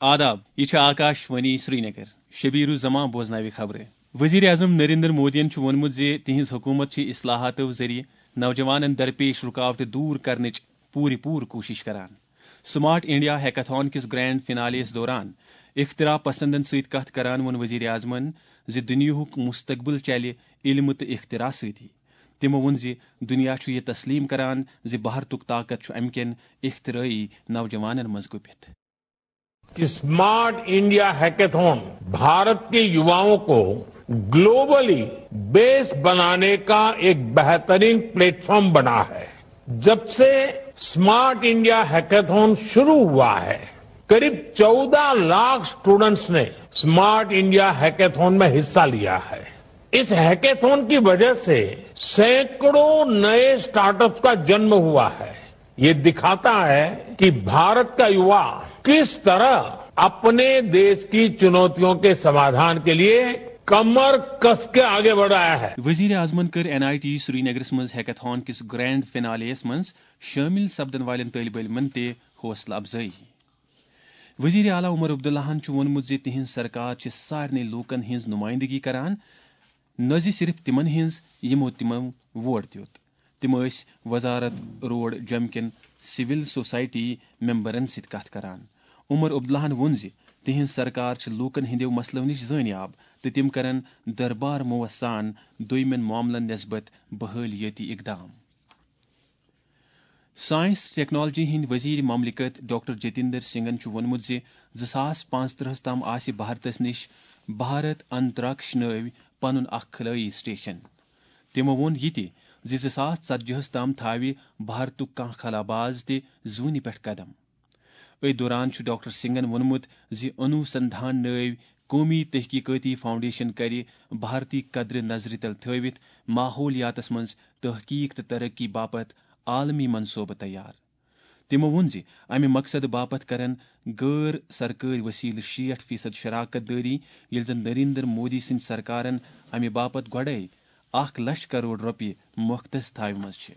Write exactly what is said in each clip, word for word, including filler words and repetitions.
آداب، یہِ چھِ آکاش وانی سرینگر۔ شبیر الزمان بوزناوِ خبرٕ۔ وزیر اعظم نریندر مودیَن چھُ ووٚنمُت زِ تِہنٛز حکوٗمت چھِ اصلاحاتو ذٔریعہٕ نوجوانَن درپیش رُکاوٹہٕ دوٗر کرنٕچ پوٗرٕ پوٗرٕ کوٗشش کران۔ سمارٹ انڈیا ہیکاتھان کِس گرینڈ فنالیَس دوران اختراع پسندن سۭتۍ کتھ کران ووٚن وزیر اعظمَن زِ دُنیاہُک مستقبل چلہِ علمہٕ تہٕ اختراع سۭتی۔ تِمو ووٚن زِ دُنیا چھُ یہِ تسلیم کران زِ بھارتُک طاقت چھُ امہِ کٮ۪ن اختراعی نوجوانَن منٛز گُپِتھ۔ कि स्मार्ट इंडिया हैकेथॉन भारत के युवाओं को ग्लोबली बेस बनाने का एक बेहतरीन प्लेटफॉर्म बना है। जब से स्मार्ट इंडिया हैकेथॉन शुरू हुआ है, करीब चौदह लाख स्टूडेंट्स ने स्मार्ट इंडिया हैकेथॉन में हिस्सा लिया है। इस हैकेथॉन की वजह से सैकड़ों नए स्टार्टअप्स का जन्म हुआ है। ये दिखाता है कि भारत का युवा किस तरह अपने देश की चुनौतियों के समाधान के लिए कमर कस के आगे बढ़ रहा है। وزیر اعظمن کٔر این آئی ٹی سرینگرس منٛز ہیکاتھان کِس گرینڈ فنالیَس منٛز شٲمِل سپدن والٮ۪ن طٲلبہِ علمن تہِ حوصلہٕ افزٲیی۔ وزیر اعلیٰ عمر عبداللہَن چھُ ووٚنمُت زِ تِہنٛز سرکار چھِ سارنٕے لوٗکن ہٕنٛز نُمٲیندگی کران، نہ زِ صرف تِمن ہٕنٛز یِمو تِمو ووٹ دیُت۔ تِم ٲسۍ وزارت روڈ جوٚم کٮ۪ن سول سوسائٹی ممبرن سۭتۍ کتھ کران۔ عمر عبداللہَن ووٚن زِ تِہنٛز سرکار چھِ لوٗکن ہٕنٛدٮ۪و مسلو نِش زٲنیاب تہٕ تِم کرن دربار موس سان دوٚیمٮ۪ن معاملن نسبت بحٲلیٲتی اقدام۔ ساینس ٹیکنالوجی ہٕنٛدۍ وزیر مملکت ڈاکٹر جتیندر سنگھن چھُ ووٚنمُت زِ زٕ ساس پانٛژترٕہَس تام آسہِ بھارتس نِش بھارت انتراکش نٲوۍ پنُن اکھ خلٲیی سٹیشن۔ تِمو ووٚن یہِ تہِ زِ زٕ ساس ژتجی ہَس تام تھاوِ بھارتُک کانٛہہ خلاباز تہِ زوٗنہِ پٮ۪ٹھ قدم۔ أتھۍ دوران چھُ ڈاکٹر سنگھن ووٚنمُت زِ انوسندھان نٲوۍ قومی تحقیقاتی فاؤنڈیشن کرِ بھارتی قدرٕ نظرِ تل تھٲوِتھ ماحولیاتس منٛز تحقیق تہٕ ترقی باپتھ عالمی منصوبہٕ تیار۔ تِمو ووٚن زِ امہِ مقصدٕ باپتھ کرن غٲر سرکٲرۍ وسیلہٕ شیٹھ فیصد شراکت دٲری، ییٚلہِ زن نریندر مودی سٕنٛدِ سرکارن امہِ باپتھ گۄڈے اکھ لچھ کرور رۄپیہِ مختص تھاوِمژٕ چھِ۔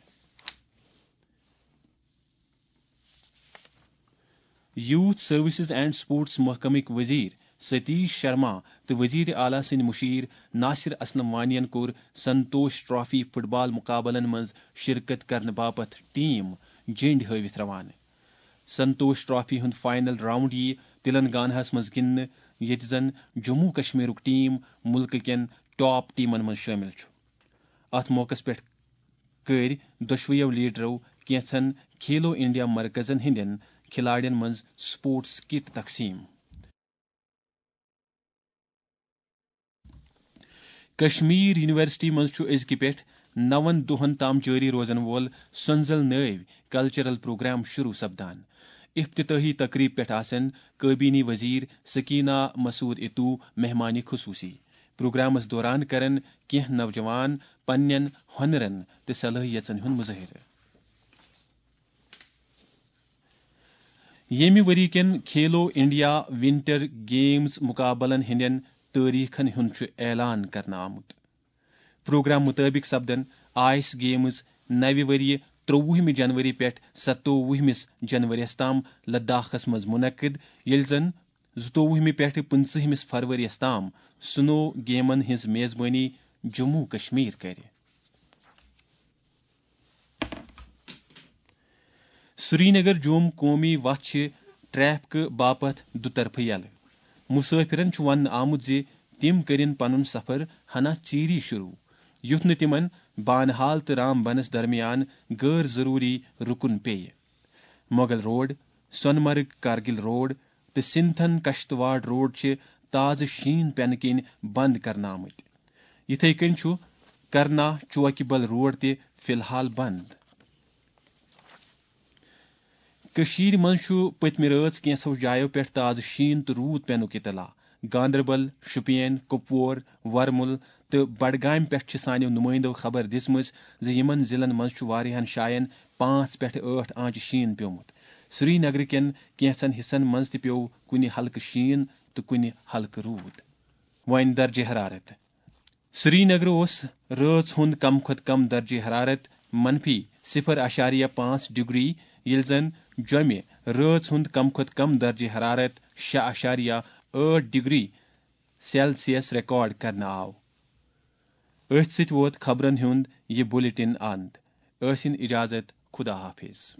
یوتھ سروسز اینڈ سپورٹس محکمٕکۍ وزیر ستیش شرما تہٕ وزیر اعلیٰ سٕنٛدۍ مشیر ناصر اسلم وانین کوٚر سنتوش ٹرافی فٹ بال مقابلن منٛز شرکت کرنہٕ باپتھ ٹیم جینڈ ہٲوِتھ روانہٕ۔ سنتوش ٹرافی ہُنٛد فائنل راؤنڈ یِیہِ تلنگاناہَس منٛز گِنٛدنہٕ، ییٚتہِ زَن جموں کشمیرُک ٹیم مُلکہٕ کٮ۪ن ٹاپ ٹیمَن منٛز شٲمِل چھُ۔ اَتھ موقعَس پٮ۪ٹھ کٔرۍ دۄشوٕیو لیڈرو کینٛژن کھیلو انڈیا مرکزن ہٕنٛدٮ۪ن کھلاڑٮ۪ن منٛز سپورٹس کٹ تقسیٖم۔ کشمیر یونیورسٹی منٛز چھُ أزکہِ پٮ۪ٹھ نَوَن دۄہَن تام جٲری روزَن وول سۄنزل نٲوۍ کلچرل پروگرام شروع سپدان۔ افتتاحی تقریب پٮ۪ٹھ آسن کابینی وزیر سکینہ مسعود اتو مہمانِ خصوصی۔ پروگرامس دوران کرن کینٛہہ نوجوان پننٮ۪ن ہۄنرن تہٕ صلٲحیژن ہُنٛد مظٲہرٕ۔ ییٚمہِ ؤری کٮ۪ن کھیلو انڈیا ونٹر گیمز مقابلن ہٕنٛدٮ۪ن تٲریخن ہُنٛد چھُ اعلان کرنہٕ آمُت۔ پروگرام مُطٲبِق سپدن آئس گیمز نوِ ؤریہِ ترٛۆوُہمہِ جنوری پٮ۪ٹھ ستووُہمِس جنوریَس تام لداخس منٛز منعقد، ییٚلہِ زن زٕتووُہمہِ پٮ۪ٹھٕ پٕنٛژٕہمِس فرؤریَس تام سنو گیمن ہٕنٛز میزبٲنی جموں کشمیر کرِ۔ سرینگر جوم قومی وتھ چھِ ٹریفکہٕ باپتھ دُطرفہٕ یلہٕ۔ مسافرن چھُ وننہٕ آمُت زِ تِم کٔرِن پنُن سفر ہنا ژیٖری شروع، یُتھ نہٕ تِمن بانہال تہٕ رام بنس درمیان غٲر ضروری رُکُن پیٚیہِ۔ مغل روڈ، سونمرگ کارگل روڈ تہٕ سنتھن کشتواڑ روڈ چھِ تازٕ شیٖن پینہٕ کِنۍ بند کرنہٕ آمٕتۍ۔ یِتھے کٔنۍ چھُ کرنا چوکہِ بل روڈ تہِ فی الحال بند۔ کٔشیٖرِ منٛز چھُ پٔتمہِ رٲژ کینٛژھو جایو پٮ۪ٹھ تازٕ شیٖن تہٕ روٗد پینُک اطلاع۔ گاندربل، شوپین، کپوور، ورمُل تہٕ بڈگامہِ پٮ۪ٹھ چھِ سانیو نُمٲیندو خبر دِژمٕژ زِ یِمن ضلعن منٛز چھُ واریاہن جاین پانٛژھ پٮ۪ٹھ ٲٹھ آنچہِ شیٖن پیوٚمُت۔ سرینگرٕ کٮ۪ن کینٛژن حصن منٛز تہِ پیوٚو کُنہِ ہلکہٕ شیٖن تہٕ کُنہِ ہلکہٕ روٗد۔ وۄنۍ درجہِ حرارت۔ سرینگرٕ اوس رٲژ ہُنٛد کم کھۄتہٕ کم درجہِ حرارت منفی صفر اعشاریہ پانٛژھ ڈگری، ییٚلہِ زن جوٚمہِ رٲژ ہُنٛد کم کھۄتہٕ کم درجہ حرارت شےٚ اعشاریہ ٲٹھ ڈگری سیلسیس ریکارڈ کرنہٕ آو۔ أتھۍ سۭتۍ ووت خبرن ہُنٛد یہِ بلیٹن اند۔ ٲسِن اجازت، خدا حافظ۔